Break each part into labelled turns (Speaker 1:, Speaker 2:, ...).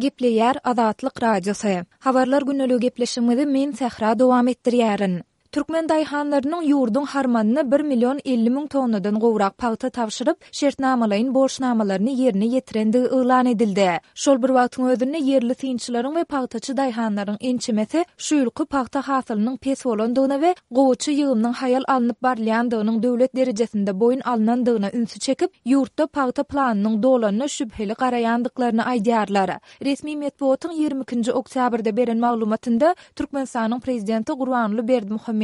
Speaker 1: Gepleýär Azatlyk Radiosy. Habarlar gündeligi gepleşigimizi men Sähra dowam etdirýärin. Türkmen daýhanlarynyň ýurduň harmanyna bir million 50 müň tonnadan gowrak pagta tabşyryp, şertnamalaýyn borçnamalaryny ýerine ýetirendigi yglan edildi. Şol bir wagtyň özünde ýerli synçylaryň we pagtaçy daýhanlaryň ençemesi şu ýylky pagta hasylynyň pes bolandygyna we gowaça ýygymynyň haýal alnyp barylýandygynyň döwlet derejesinde boýun alnandygyna ünsi çekip, ýurtda pagta planynyň dolanyna şübheli garaýandyklaryny aýdýarlar. Resmi metbugatyň 22 nji oktýabrda beren maglumatynda Türkmenistanyň Prezidenti Gurbanguly Berdimuhamedowyň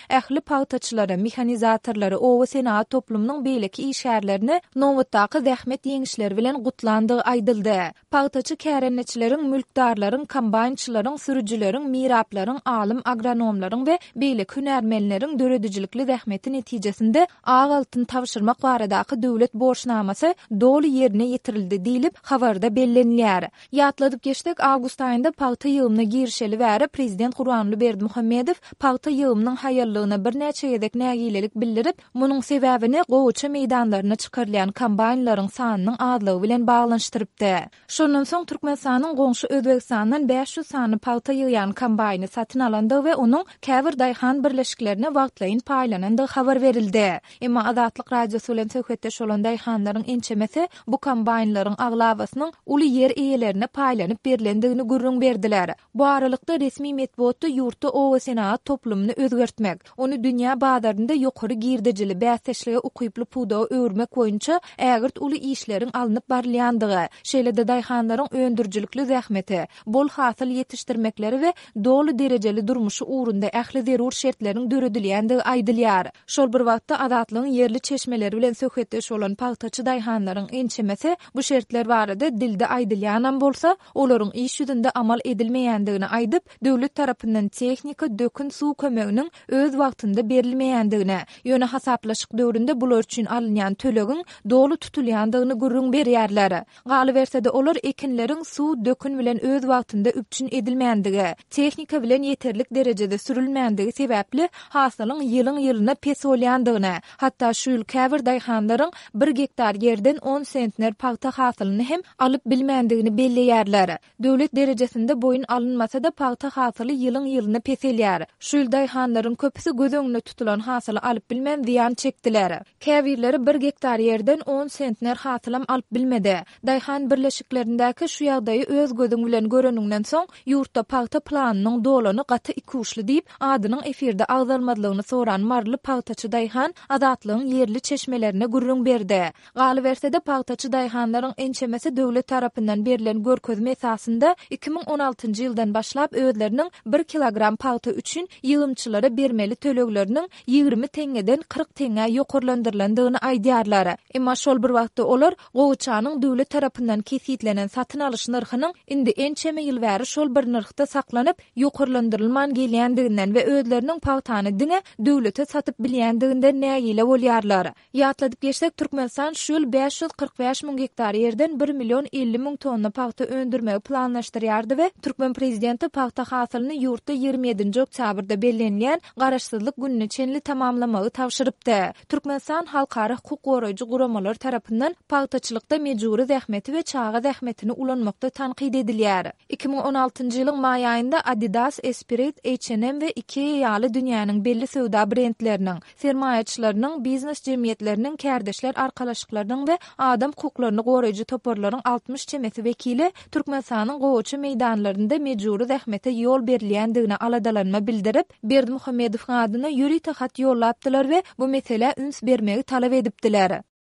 Speaker 1: ähli pagtaçylary, mehanizatorlary, oba senagat toplumynyň beýleki işgärlerini nobatdaky zähmet ýeňişleri bilen gutlandygy aýdyldy. Pagtaçy kärendeçileriň, mülkdarlaryň, kombaýnçylaryň, sürüjileriň, miraplaryň, alym agronomlaryň we beýleki hünärmenleriň döredijilikli zähmeti netijesinde ak altyn tabşyrmak baradaky döwlet borçnamasy doly ýerine ýetirildi diýlip, habarda bellenilýär. Ýatladyp geçsek, awgust aýynda pagta ýygymyna girişeli bäri prezident Gurbanguly Berdimuhamedow pagta ýygymynyň haýallygyna birnäçe gezek nägilelik bildirip, munuň sebäbini gowaça meýdanlaryna çykarylýan kombaýnlaryň sanynyň azlygy bilen baglanyşdyrypdy. Şondan soň Türkmenistanyň goňşy Özbegistandan 500 sany pagta ýygýan kombaýny satyn alandygy we onuň käbir daýhan birleşiklerine wagtlaýyn paýlanandygy habar berildi. Emma Azatlyk Radiosy bilen söhbetdeş bolan daýhanlaryň ençemesi bu kombaýnlaryň aglabasynyň uly ýer eýelerine paýlanyp berlendigini gürrüň berdiler. Bu aralykda, resmi metbugatda ýurtda obasenagat toplumyny özgertmek, ony dünýä bazarynda ýokary girdejili, bäsdeşlige ukyply pudaga öwürmek boýunça ägirt uly işleriň alnyp barylýandygy, şeýle-de daýhanlaryň öndürijilikli zähmeti, bol hasyl ýetişdirmekleri we doly derejeli durmuşy ugrunda ähli zerur şertleriň döredilýändigi aýdylýar. Şol bir wagtda, Azatlygyň ýerli çeşmeleri bilen söhbetdeş bolan pagtaçy daýhanlaryň ençemesi bu şertler barada dilde aýdylýanam bolsa, olaryň iş ýüzünde amal edilmeýändigini aýdyp, döwlet tarapyndan tehnika, dökün, suw kömeginiň öz wagtynda berilmeýändigini, ýöne hasaplaşyk döwründe bular üçin alynýan tölegiň doly tutulýandygyny gürrüň berýärler. Galyberse-de, olar ekinleriň suw, dökün bilen öz wagtynda üpjün edilmändigi, tehnika bilen ýeterlik derejede sürülmändigi sebäpli hasylyň ýylyň-ýylyna pes bolýandygyny, hatda şu ýyl käbir daýhanlaryň bir gektar ýerden on sentner pagta hasylyny hem alyp bilmändigini belleýärler. Döwlet derejesinde boýun alynmasa-da, pagta hasyly ýylyň-ýylyna peselýär. Şu ýyl daýhanlaryň köpüsi göz öňünde tutulan hasyly alyp bilmän zyýan çekdiler. Käbirleri bir gektar ýerden on sentner hasylam alyp bilmedi. Daýhan birleşiklerindäki şu ýagdaýy öz gözüň bilen göreniňden soň, ýurtda pagta planynyň dolany gaty ikuçly diýip, adynyň efirde agzalmazlygyny soran maryly pagtaçy daýhan Azatlygyň ýerli çeşmelerine gürrüň berdi. Galyberse-de, pagtaçy daýhanlaryň ençemesi döwlet tarapyndan berlen görkezme esasynda 2016-njy ýyldan başlap özleriniň bir kilogram pagta üçin ýygymçylara bermeli tölegleriniň 20 teňňeden 40 teňňä ýokarlandyrylandygyny aýdýarlar. Emma şol bir wagtda olar gowaçanyň döwlet tarapyndan kesgitlenen satyn alyş nyrhynyň indi ençeme ýyl bäri şol bir nyrhda saklanyp, ýokarlandyrylman gelýändiginden we özleriniň pagtany diňe döwlete satyp bilýändiginden nägile bolýarlar. Ýatladyp geçsek, Türkmenistan şu ýyl 545 müň gektar ýerden bir million 50 müň tonna pagta öndürmegi planlaşdyrýardy we türkmen prezidenti pagta hasylyny ýurtda 27-nji oktýabrda bellenilýän Garaşsyzlyk gününe çenli tamamlamagy tabşyrypdy. Türkmenistan halkara hukuk goraýjy guramalar tarapyndan pagtaçylykda mejbury zähmeti we çaga zähmetini ulanmakda tankyt edilýär. 2016-njy ýylyň maý aýynda Adidas, Esprit, H&M we Ikea ýaly dünýäniň belli söwda brendleriniň, sermaýaçylarynyň, biznes jemgyýetleriniň, kärdeşler arkalaşyklarynyň we adam hukuklaryny goraýjy toparlaryň 60 çemesi wekili Türkmenistanyň gowaça meýdanlarynda mejbury zähmete ýol berilýändigine aladalanma bildirip, Berdimuhamedowyň adyna ýörite hat ýollapdylar we bu meselä üns bermegi talap edipdiler.